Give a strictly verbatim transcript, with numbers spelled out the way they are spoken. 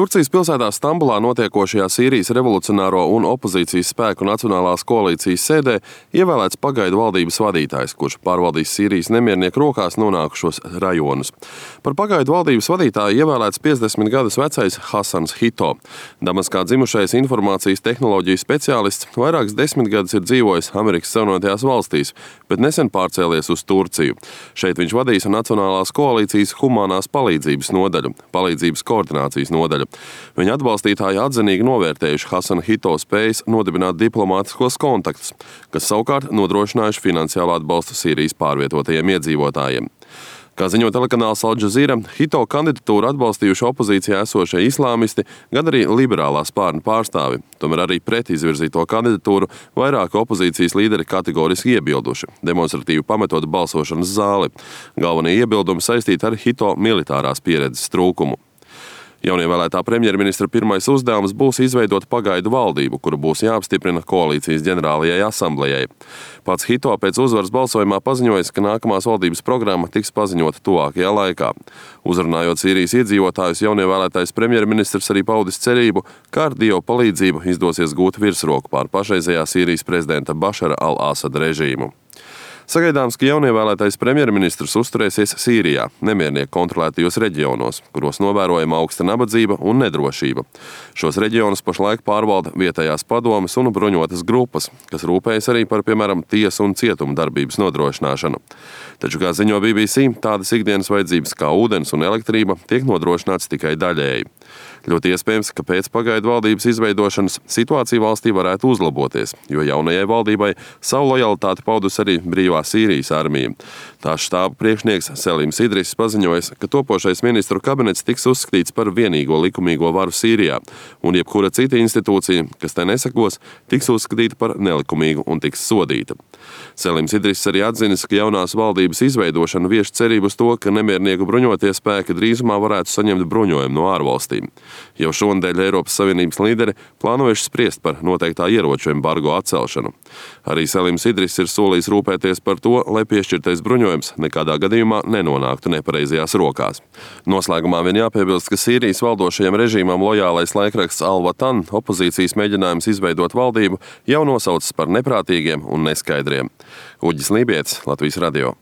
Turcijas pilsētā Stambulā notiekošajā Sīrijas revolucionāro un opozīcijas spēku nacionālās koalīcijas sēdē ievēlēts pagaidu valdības vadītājs, kurš pārvaldīs Sīrijas nemiernieku rokās nonākušos rajonus. Par pagaidu valdības vadītāju ievēlēts piecdesmit gadus vecais Hasans Hito. Damaskā dzimušais informācijas tehnoloģiju speciālists vairākas desmitgadus ir dzīvojis Amerikas Savienotajās valstīs, bet nesen pārcēlies uz Turciju. Šeit viņš vadīs Nacionālās koalīcijas humanās palīdzības nodaļu, palīdzības koordinācijas nodaļu. Viņa atbalstītāji atzinīgi novērtējuši Hasana Hito spējas nodibināt diplomātiskos kontaktus, kas savukārt nodrošinājuši finansiālu atbalstu Sīrijas pārvietotajiem iedzīvotājiem. Kā ziņo telekanāls Al Jazeera, Hito kandidatūru atbalstījuši opozīcijā esošie islāmisti, gan arī liberālā spārna pārstāvi. Tomēr arī pret izvirzīto kandidatūru vairāki opozīcijas līderi kategoriski iebilduši, demonstratīvi pametot balsošanas zāli. Galvenie iebildumi saistīti ar Hito militārās pieredzes trūkumu. Jaunievēlētā premjerministra pirmais uzdevums būs izveidot pagaidu valdību, kuru būs jāapstiprina koalīcijas ģenerālajai asamblejai. Pats Hito pēc uzvaras balsojumā paziņoja, ka nākamās valdības programma tiks paziņota tuvākajā laikā. Uzrunājot Sīrijas iedzīvotājus, jaunievēlētais premjerministrs arī paudis cerību, ka ar Dievu palīdzību izdosies gūt virsroku pār pašreizējā Sīrijas prezidenta Bašara al-Asada režīmu. Sagaidāms, ka jaunievēlētais premjerministrs uzturēsies Sīrijā, nemiernieku kontrolētajos reģionos, kuros novērojama augsta nabadzība un nedrošība. Šos reģionus pašlaik pārvalda vietējās padomes un bruņotas grupas, kas rūpējas arī par, piemēram, tiesu un cietumu darbības nodrošināšanu. Taču, kā ziņo B B C, tādas ikdienas vajadzības kā ūdens un elektrība tiek nodrošināts tikai daļēji. Ļoti iespējams, ka pēc pagaidu valdības izveidošanas situācija valstī varētu uzlaboties, jo jaunajai valdībai savu lojalitāti paudus arī brīvā Sīrijas armija. Tās štāba priekšnieks Selims Idriss paziņoja, ka topošais ministru kabinets tiks uzskatīts par vienīgo likumīgo varu Sīrijā, un jebkura cita institūcija, kas tai nesakos, tiks uzskatīta par nelikumīgu un tiks sodīta. Selims Idriss arī atzinis, ka jaunās valdības izveidošana vieš cerību uz to, ka nemiernieku bruņotie spēki drīzumā varētu saņemt bruņojumu no ārvalstīm. Jau šonadēļ Eiropas Savienības līderi plānojuši spriest par noteiktā ieroču embargo atcelšanu. Arī Selims Idriss ir solījis rūpēties par to, lai piešķirtais bruņojums nekādā gadījumā nenonāktu nepareizajās rokās. Noslēgumā vien jāpiebilst, ka Sīrijas valdošajam režīmam lojālais laikraksts Al-Watan opozīcijas mēģinājums izveidot valdību jau nosaucis par neprātīgiem un neskaidriem. Uģis Lībietis, Latvijas radio.